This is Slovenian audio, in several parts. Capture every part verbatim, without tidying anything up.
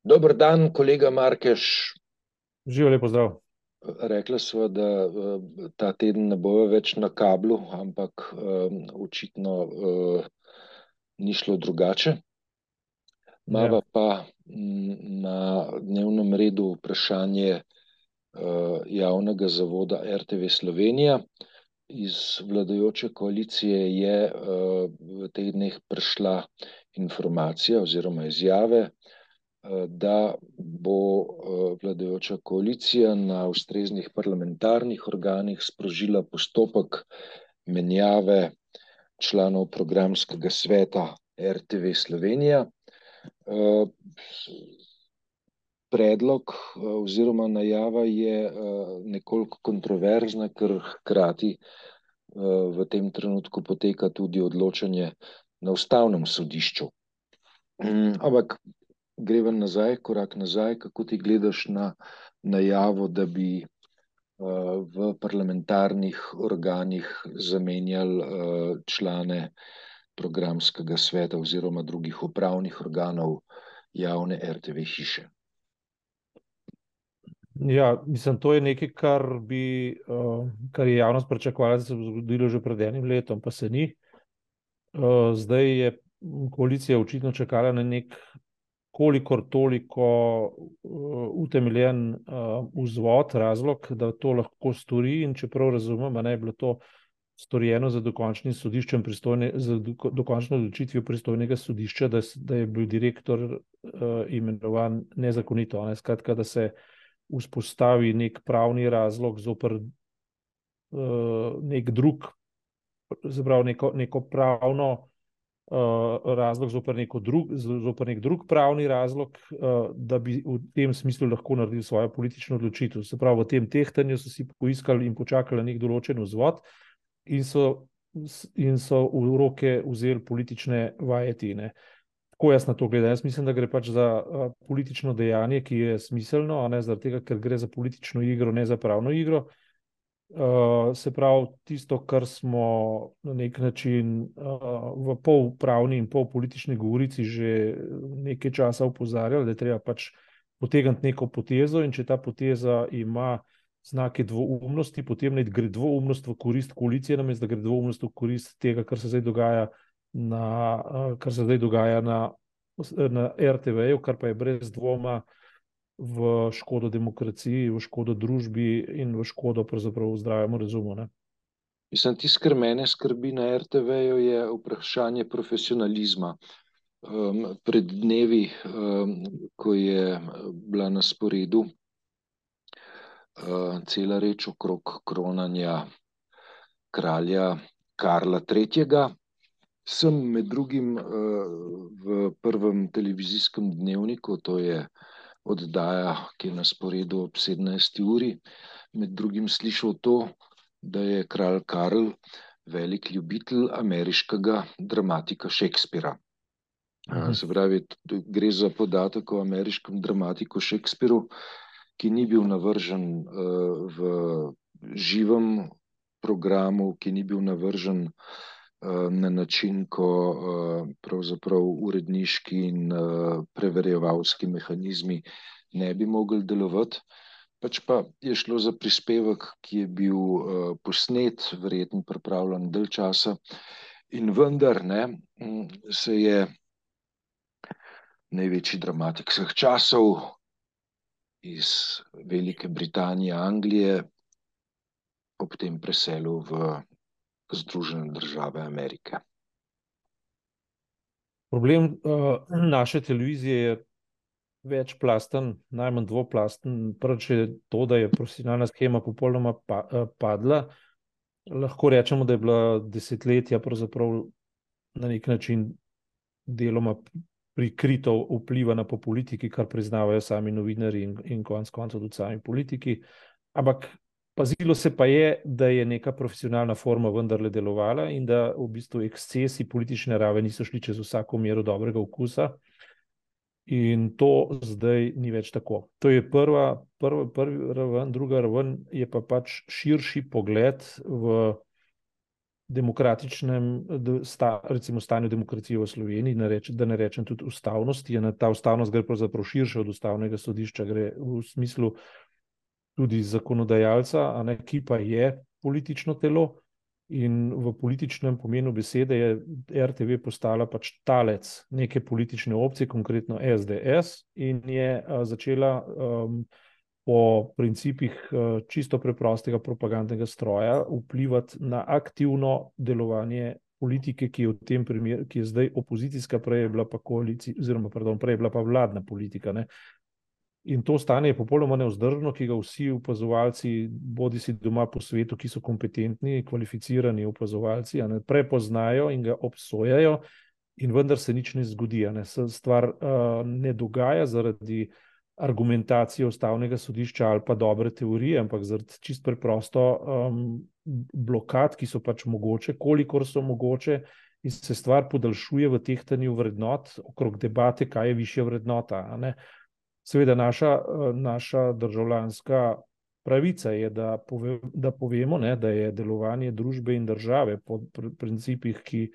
Dober dan, kolega Markeš. Živijo, lep pozdrav. Rekla sva, da eh, ta teden ne bova več na kablu, ampak eh, očitno eh, ni šlo drugače. Mava Ja. pa mm, na dnevnem redu vprašanje eh, javnega zavoda R T V Slovenija. Iz vladajoče koalicije je eh, v teh dneh prišla informacija oziroma izjave, eh, da bo eh, vladajoča koalicija na ustreznih parlamentarnih organih sprožila postopek menjave članov programskega sveta R T V Slovenija. Eh, Predlog eh, oziroma najava je eh, nekoliko kontroverzna, ker hkrati eh, v tem trenutku poteka tudi odločanje na ustavnem sodišču. Mm, Ampak greva nazaj, korak nazaj, kako ti gledaš na najavo, da bi eh, v parlamentarnih organih zamenjali eh, člane programskega sveta oziroma drugih upravnih organov javne R T V hiše. Ja, mislim, to je nekaj, kar bi, uh, kar je javnost pričakovala, da se bo zgodilo že pred enim letom, pa se ni. Uh, zdaj je koalicija očitno čakala na nek kolikor toliko uh, utemeljen uh, vzvod, razlog, da to lahko stori, in čeprav razumem, a ne je bilo to storjeno za dokončnim sodiščem pristojne, za do, dokončno odločitvijo pristojnega sodišča, da, s- da je bil direktor uh, imenovan nezakonito. a Ne? Skratka, da se vzpostavi nek pravni razlog zoper uh, nek drug, zaprav neko, neko pravno uh, razlog zoper, neko drug, zoper nek drug pravni razlog, uh, da bi v tem smislu lahko naredili svojo politično odločitev. Se pravi, v tem tehtanju so si poiskali in počakali na nek določen vzvod in so, in so v roke vzeli politične vajetine. Tako jaz na to gledam. Jaz mislim, da gre pač za uh, politično dejanje, ki je smiselno, a ne zaradi tega, ker gre za politično igro, ne za pravno igro. Uh, se pravi, tisto, kar smo na nek način uh, v polpravni in polpolitični govorici že nekaj časa opozarjali, da je treba pač potegniti neko potezo, in če ta poteza ima znake dvoumnosti, potem naj gre dvoumnost v korist koalicije, namesto da gre dvoumnost v korist tega, kar se zdaj dogaja na, uh, kar se zdaj dogaja na, na R T V-ju, kar pa je brez dvoma v škodo demokraciji, v škodo družbi in v škodo pravzaprav zdravemu razumu. Ne? Mislim, tisto, kar mene skrbi na R T V-ju, je vprašanje profesionalizma. Um, pred dnevi, um, ko je bila na sporedu uh, cela reč okrog kronanja kralja Karla tretjega, sem med drugim uh, v prvem televizijskem dnevniku, to je oddaja, ki je na sporedu ob sedemnajsti uri, med drugim slišal to, da je kralj Karl velik ljubitelj ameriškega dramatika Shakespeara. Mhm. Se pravi, gre za podatek o ameriškem dramatiku Shakespearu, ki ni bil navržen v živem programu, ki ni bil navržen na način, ko pravzaprav uredniški in preverjevalski mehanizmi ne bi mogli delovati. Pač pa je šlo za prispevek, ki je bil posnet, verjetno pripravljen dalj časa, in vendar ne, se je največji dramatik vseh časov iz Velike Britanije, Anglije, ob tem preselil v Združene države Amerike. Problem uh, naše televizije je večplasten, najmanj dvoplasten. Prvič je to, da je profesionalna shema popolnoma pa, uh, padla. Lahko rečemo, da je bila desetletja pravzaprav na nek način deloma prikrito vplivana po politiki, kar priznavajo sami novinari in, in konec koncev tudi sami politiki. Ampak pazilo se pa je, da je neka profesionalna forma vendarle delovala in da v bistvu ekscesi politične narave niso šli čez vsako mero dobrega okusa. In to zdaj ni več tako. To je prva, prva, prva raven, druga raven je pa pač širši pogled v demokratičnem sta, recimo stanju demokracije v Sloveniji, ne reč, da ne rečem tudi ustavnosti. Je, ta ustavnost gre pravzaprav širše od ustavnega sodišča, gre v smislu tudi zakonodajalca, a ne, ki pa je politično telo. In v političnem pomenu besede je R T V postala pač talec neke politične opcije, konkretno S D S, in je uh, začela um, po principih uh, čisto preprostega propagandnega stroja vplivati na aktivno delovanje politike, ki je v tem primeru, ki je zdaj opozicijska, prej je bila pa koalicija, oziroma pardon, prej je bila pa vladna politika, ne. In to stanje je popolnoma nevzdržno, ki ga vsi opazovalci, bodi si doma po svetu, ki so kompetentni, kvalificirani opazovalci, a ne, prepoznajo in ga obsojajo, in vendar se nič ne zgodi. A ne. Stvar uh, ne dogaja zaradi argumentacije ustavnega sodišča ali pa dobre teorije, ampak zaradi čist preprosto um, blokad, ki so pač mogoče, kolikor so mogoče, in se stvar podaljšuje v tehtanju vrednot okrog debate, kaj je višja vrednota, a ne. Seveda naša, naša državljanska pravica je, da, pove, da povemo, ne, da je delovanje družbe in države po principih, ki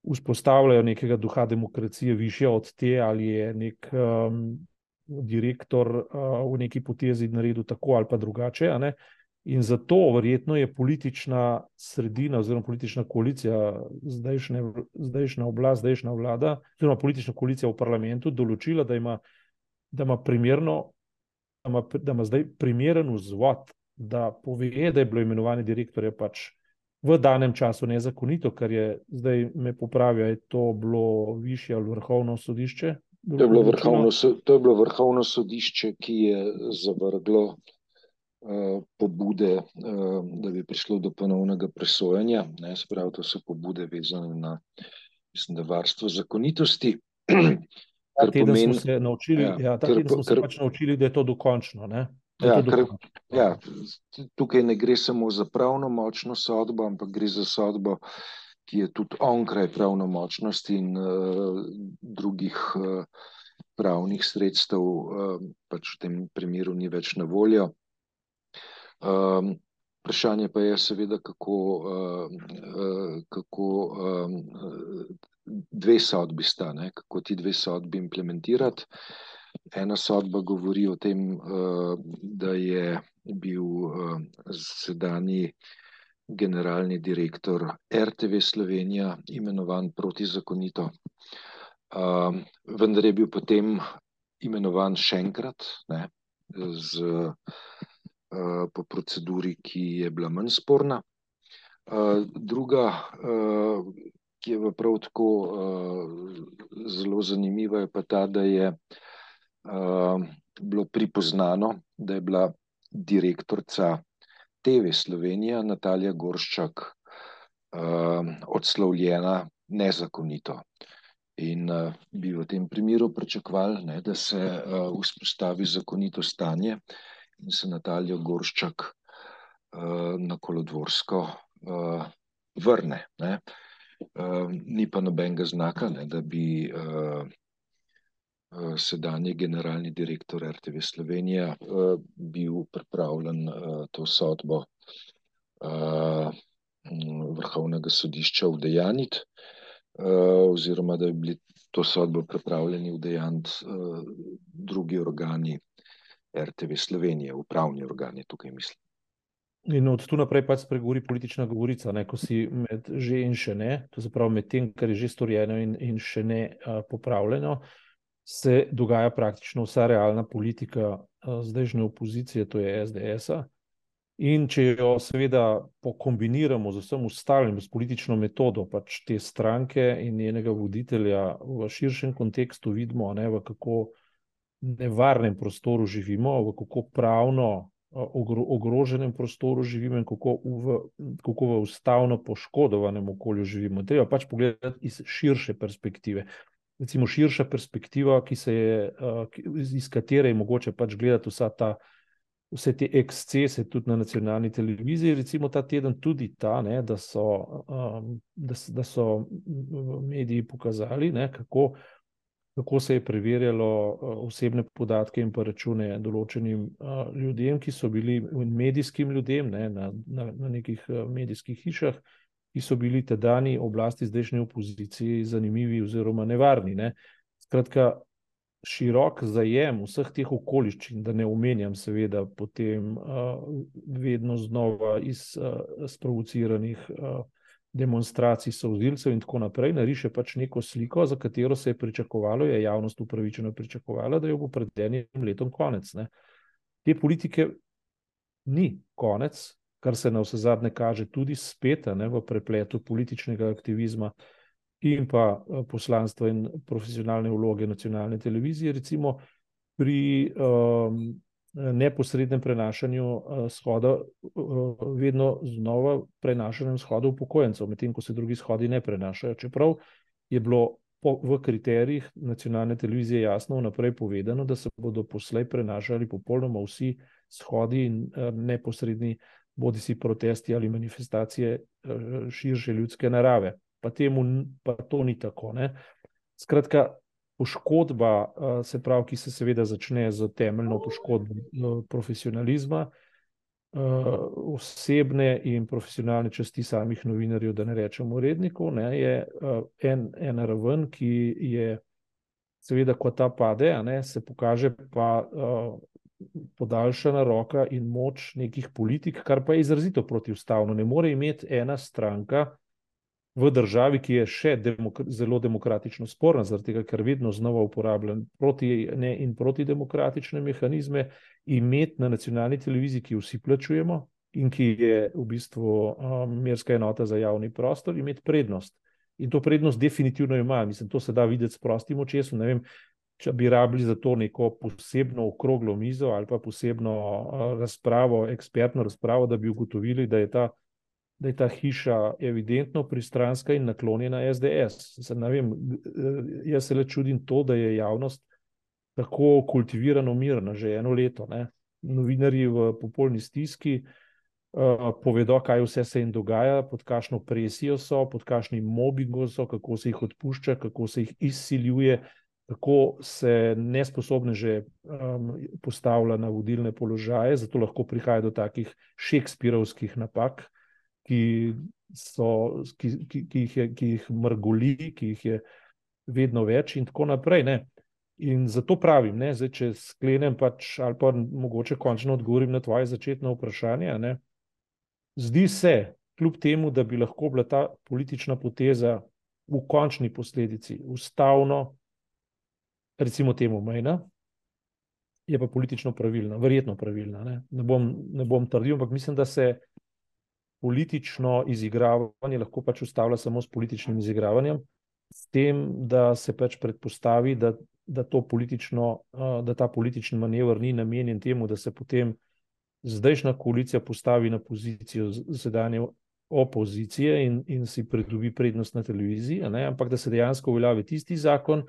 vzpostavljajo nekega duha demokracije, višja od te, ali je nek um, direktor uh, v neki potezi naredil tako ali pa drugače. A ne. In zato verjetno je politična sredina oziroma politična koalicija, zdajšnja, zdajšnja oblast, zdajšnja vlada, oziroma politična koalicija v parlamentu določila, da ima da ima primerno, da ima, da ima zdaj primeren vzvod, da pove, da je bilo imenovanje direktorja pač v danem času nezakonito, kar je, zdaj me popravijo, je to bilo višje ali vrhovno sodišče? To je bilo vrhovno, to je bilo vrhovno sodišče, ki je zavrglo uh, pobude, uh, da bi prišlo do ponovnega presojanja. Ne, se pravi, to so pobude vezane na, mislim, da varstvo zakonitosti. Ta teden pomeni, smo se naučili, ja, ja, ta kar, teden smo kar, se pač naučili, da je to dokončno. Ne? Da ja, je to kar, dokončno. Ja, tukaj ne gre samo za pravno močno sodbo, ampak gre za sodbo, ki je tudi onkraj pravnomočnosti in uh, drugih uh, pravnih sredstev, uh, pač v tem primeru ni več na voljo. Um, vprašanje pa je seveda, kako, uh, uh, kako um, dve sodbi sta, ne? Kako ti dve sodbi implementirati. Ena sodba govori o tem, da je bil sedanji generalni direktor R T V Slovenija imenovan protizakonito, vendar je bil potem imenovan še enkrat, ne, z, po proceduri, ki je bila manj sporna. Druga, ki je prav tako uh, zelo zanimiva, je pa ta, da je uh, bilo pripoznano, da je bila direktorica T V Slovenija Natalija Gorščak uh, odslovljena nezakonito. In uh, bi v tem primeru pričakovali, ne, da se uh, vzpostavi zakonito stanje in se Natalijo Gorščak uh, na Kolodvorsko uh, vrne. Ne. Uh, ni pa nobenega znaka, ne, da bi uh, uh, sedanji generalni direktor R T V Slovenija uh, bil pripravljen uh, to sodbo uh, vrhovnega sodišča udejaniti, uh, oziroma da bi bili to sodbo pripravljeni udejaniti uh, drugi organi R T V Slovenije, upravni organi, tukaj mislim. In od tu naprej pač spregovori politična govorica, ne, ko si med že in še ne, to se pravi med tem, kar je že storjeno in, in še ne uh, popravljeno, se dogaja praktično vsa realna politika uh, zdajšnje opozicije, to je S D S-a. In če jo seveda pokombiniramo z vsem ostalim, s politično metodo pač te stranke in njenega voditelja v širšem kontekstu, vidimo, ne, v kako nevarnem prostoru živimo, v kako pravno ogroženem prostoru živimo in kako v, kako v ustavno poškodovanem okolju živimo. Treba pač pogledati iz širše perspektive. Recimo širša perspektiva, ki se je, iz katere je mogoče pač gledati vsa ta, vse te ekscese tudi na nacionalni televiziji, recimo ta teden tudi ta, ne, da so, da, da so mediji pokazali, ne, kako kako se je preverjalo osebne podatke in pa račune določenim uh, ljudem, ki so bili medijskim ljudem, ne, na, na, na nekih medijskih hišah, ki so bili tedajni oblasti, zdajšnji opoziciji zanimivi oziroma nevarni. Ne. Skratka, širok zajem vseh teh okoliščin, da ne omenjam seveda potem uh, vedno znova iz uh, sprovociranih uh, demonstracij solzivcev in tako naprej, nariše pač neko sliko, za katero se je pričakovalo, je javnost upravičeno pričakovala, da jo bo pred enim letom konec. Ne. Te politike ni konec, kar se na vsezadnje kaže tudi spet ne, v prepletu političnega aktivizma in pa poslanstva in profesionalne vloge nacionalne televizije, recimo pri um, neposrednem prenašanju uh, shoda, uh, vedno znova prenašanjem shoda upokojencev, medtem ko se drugi shodi ne prenašajo. Čeprav je bilo po, v kriterijih nacionalne televizije jasno vnaprej povedano, da se bodo poslej prenašali popolnoma vsi shodi in uh, neposredni bodisi protesti ali manifestacije uh, širše ljudske narave. Pa temu pa to ni tako. Ne? Skratka, poškodba, se pravi, ki se seveda začne z temeljno poškodbo profesionalizma, osebne in profesionalne časti samih novinarjev, da ne rečem urednikov, ne, je en, en raven, ki je seveda, ko ta pade, a ne, se pokaže pa podaljšana roka in moč nekih politik, kar pa je izrazito protiustavno. Ne more imeti ena stranka v državi, ki je še demok zelo demokratično sporna, zaradi tega, ker vedno znova uporablja proti ne in protidemokratične mehanizme, imeti na nacionalni televiziji, ki vsi plačujemo in ki je v bistvu um, merska enota za javni prostor, imeti prednost. In to prednost definitivno ima. Mislim, to se da videti s prostim očesom. Ne vem, če bi rabili za to neko posebno okroglo mizo ali pa posebno uh, razpravo, ekspertno razpravo, da bi ugotovili, da je ta da je ta hiša evidentno pristranska in naklonjena es de es. Ne vem, jaz se le čudim to, da je javnost tako kultivirano mirna že eno leto. Ne. Novinarji v popolni stiski uh, povedo, kaj vse se jim dogaja, pod kakšno presijo so, pod kakšnim mobingom so, kako se jih odpušča, kako se jih izsiljuje, kako se nesposobne že um, postavlja na vodilne položaje, zato lahko prihaja do takih šekspirovskih napak, Ki, so, ki, ki, ki, jih je, ki jih mrgoli, ki jih je vedno več in tako naprej. Ne. In zato pravim, ne, zdaj, če sklenem pač, ali pa mogoče končno odgovorim na tvoje začetno vprašanje, ne, zdi se, kljub temu, da bi lahko bila ta politična poteza v končni posledici ustavno, recimo temu mejna, je pa politično pravilna, verjetno pravilna. Ne, ne bom, ne bom trdil, ampak mislim, da se politično izigravanje lahko pač ustavlja samo s političnim izigravanjem, s tem, da se pač predpostavi, da, da, to politično, da ta politični manever ni namenjen temu, da se potem zdajšnja koalicija postavi na pozicijo sedanje opozicije in, in si pridobi prednost na televiziji, ne, ampak da se dejansko uveljavi tisti zakon,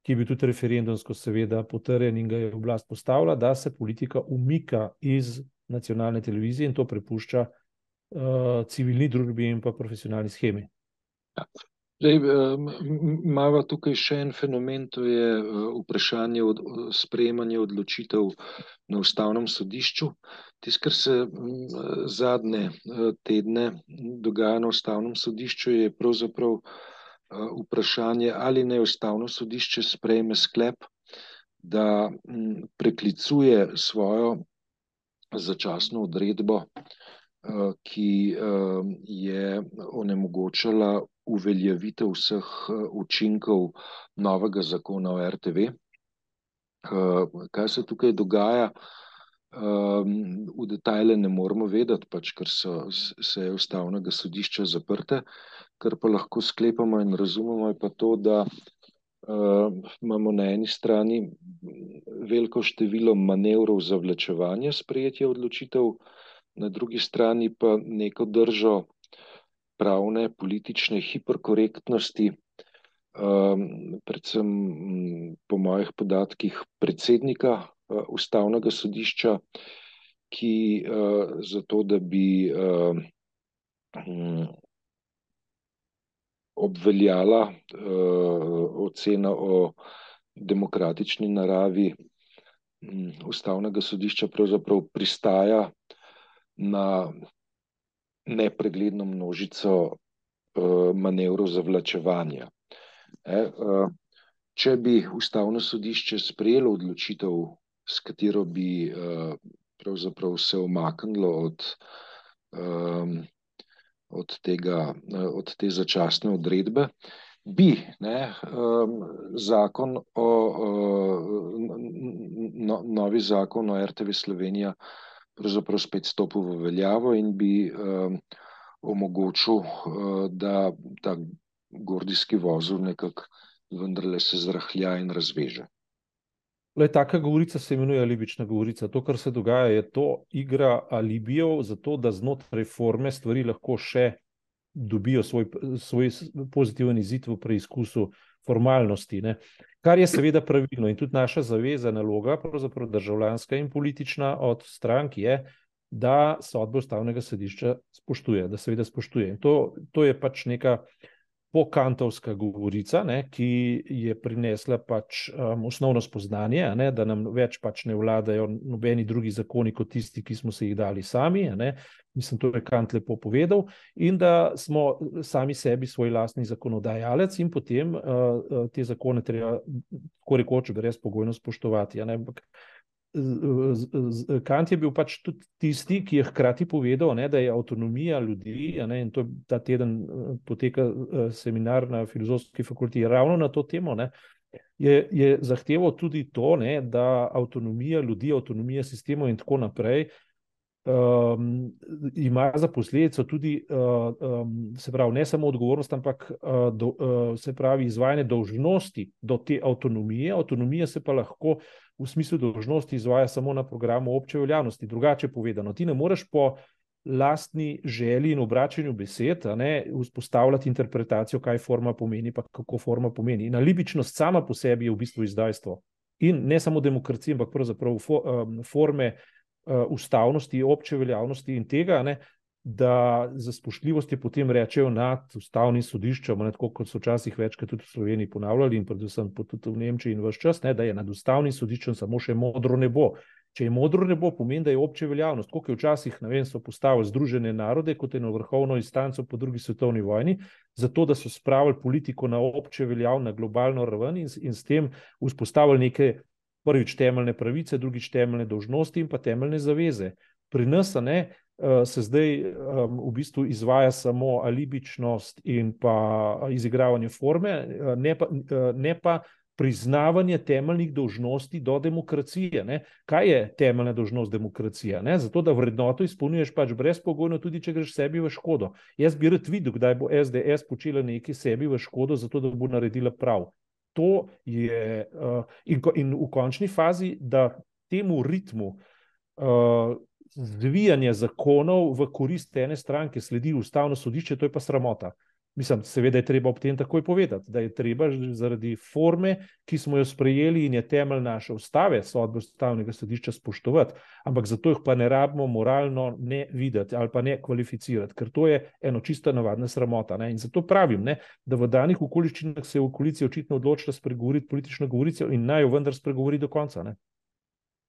ki je bil tudi referendumsko seveda potrjen in ga je oblast postavila, da se politika umika iz nacionalne televizije in to prepušča Uh, civilni družbi in pa profesionalni schemi. Ja. Zdaj, imamo tukaj še en fenomen, to je vprašanje od, sprejemanja odločitev na ustavnem sodišču. Tisto, kar se zadnje tedne dogaja na ustavnem sodišču, je pravzaprav vprašanje, ali naj ustavno sodišče sprejme sklep, da preklicuje svojo začasno odredbo, ki je onemogočala uveljavitev vseh učinkov novega zakona o er te ve. Kaj se tukaj dogaja, v detajle ne moramo vedeti, pač, ker so seje ustavnega sodišča zaprte, kar pa lahko sklepamo in razumemo, je pa to, da imamo na eni strani veliko število manevrov za zavlačevanje sprejetja odločitev, na drugi strani pa neko držo pravne, politične hiperkorektnosti, predvsem po mojih podatkih predsednika ustavnega sodišča, ki zato, da bi obveljala ocena o demokratični naravi ustavnega sodišča, pravzaprav pristaja na nepregledno množico manevrov zavlačevanja. Če bi Ustavno sodišče sprejelo odločitev, s katero bi pravzaprav se umaknilo od, od, tega, od te začasne odredbe, bi ne, zakon o, no, novi zakon o R T V Slovenija pravzaprav spet stopil v veljavo in bi omogočil, da ta gordijski vozel nekako vendarle se zrahlja in razveže. Lej, taka govorica se imenuje alibična govorica. To, kar se dogaja, je to igra alibijev, zato da znotraj forme stvari lahko še dobijo svoj, svoj pozitiven izid v preizkusu formalnosti, ne. Kar je seveda pravilno in tudi naša zaveza, naloga, pravzaprav državljanska in politična od strank je, da sodbe Ustavnega sodišča spoštuje, da seveda spoštuje. In to, to je pač neka pokantovska govorica, ne, ki je prinesla pač um, osnovno spoznanje, ne, da nam več pač ne vladajo nobeni drugi zakoni kot tisti, ki smo se jih dali sami, ne. Mislim, to je Kant lepo povedal, in da smo sami sebi svoj lastni zakonodajalec in potem uh, te zakone treba tako rekoč brezpogojno spoštovati. Ne. Kant je bil pač tudi tisti, ki je hkrati povedal, ne, da je avtonomija ljudi, ne, in to ta teden poteka seminar na Filozofski fakulteti ravno na to temo, ne, je, je zahteval tudi to, ne, da avtonomija ljudi, avtonomija sistemov in tako naprej um, ima za posledico tudi uh, um, se pravi ne samo odgovornost, ampak uh, do, uh, se pravi izvajanje dolžnosti do te avtonomije. Avtonomija se pa lahko v smislu dolžnosti izvaja samo na programu obče veljavnosti. Drugače povedano, ti ne moreš po lastni želji in obračanju besed, a ne, vzpostavljati interpretacijo, kaj forma pomeni, pa kako forma pomeni. In alibičnost sama po sebi je v bistvu izdajstvo. In ne samo demokracija, ampak pravzaprav forme ustavnosti, obče veljavnosti in tega, ne, da za spoštljivost je potem rečejo nad ustavnim sodiščem, ne, tako kot so včasih večkrat tudi v Sloveniji ponavljali in predvsem tudi v Nemčiji in ves čas, ne, da je nad ustavnim sodiščem samo še modro nebo. Če je modro nebo, pomeni, da je obče veljavnost. Koliko je včasih, ne vem, so postavili Združene narode kot eno vrhovno instanco po drugi svetovni vojni, zato da so spravili politiko na obče veljavno, na globalno raven in, in s tem vzpostavili neke prvič temeljne pravice, drugič temeljne dolžnosti in pa temeljne zaveze. Pri nas, ne, se zdaj um, v bistvu izvaja samo alibičnost in pa izigravanje forme, ne pa, ne pa priznavanje temeljnih dolžnosti do demokracije. Ne. Kaj je temeljna dolžnost demokracije? Ne? Zato, da vrednoto izpolnjuješ pač brezpogojno, tudi če greš sebi v škodo. Jaz bi rad videl, kdaj bo S D S počela nekaj sebi v škodo, zato da bo naredila prav. To je uh, in, in v končni fazi, da temu ritmu uh, zvijanja zakonov v korist ene stranke sledi Ustavno sodišče, to je pa sramota. Mislim, seveda je treba ob tem takoj povedati, da je treba zaradi forme, ki smo jo sprejeli in je temelj naše ustave, sodbe Ustavnega sodišča spoštovati, ampak zato jih pa ne rabimo moralno ne videti ali pa ne kvalificirati, ker to je eno čista navadna sramota. Ne? In zato pravim, ne, da v danih okoliščinah se je v koaliciji očitno odločila spregovoriti politično govorico in naj jo vendar spregovori do konca. Ne?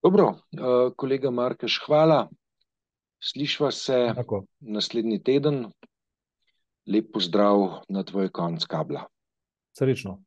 Dobro, uh, kolega Markeš, hvala. Slišva se Tako. Naslednji teden. Lep pozdrav na tvoj konc kabla. Srečno.